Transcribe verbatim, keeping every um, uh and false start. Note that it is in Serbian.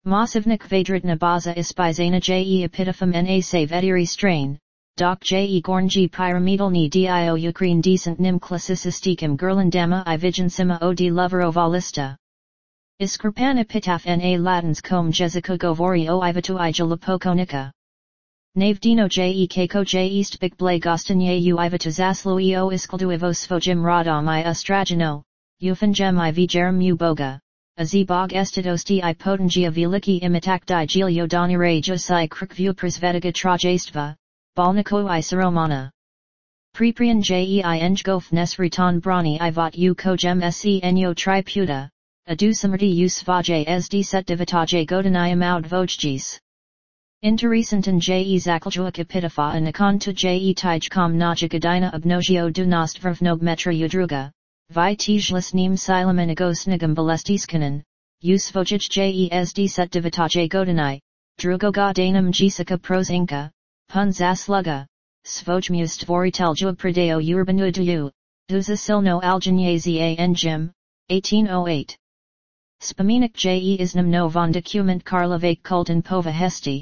Mosivnik Vadritna baza ispizana je epitaphem na save ediri strain, doc je gornji pyramidalni dio Ukraine decent nim classicistikim gerlandama I viginsima od lovero valista. Iskrpan epitaph na latins com jezica govori o ivatu I jalapokonika. Navdino je kako je east big blay gostanye u ivatu zaslo eo iskaldu ivo svojim radom I ustragino, ufengem I vigerum u boga. Azibog estidosti I potengia veliki imitak di gilio donire josai krukvu prisvetiga trajestva, balniko I saromana. Preprian je I engof nesriton brani I vot u kogem se enyo triputa, adusamerti u svaje sd set divitaje godaniam out vojgis. Interesantan je zakljuak epitafa anakon to je tijkom najagadina obnogio du nost vrvnog metra udruga. Vi tijlis nim silamanagos nigam balestiskanen, usvojij jesd set divitaje godani, drugoga danam jesica pros inca, pun zasluga, svojmust voritel jub pradeo urbanu du, duza silno aljanyaza engim, eighteen oh eight. Spaminik je isnam no von document karlovake kulten pova hesti.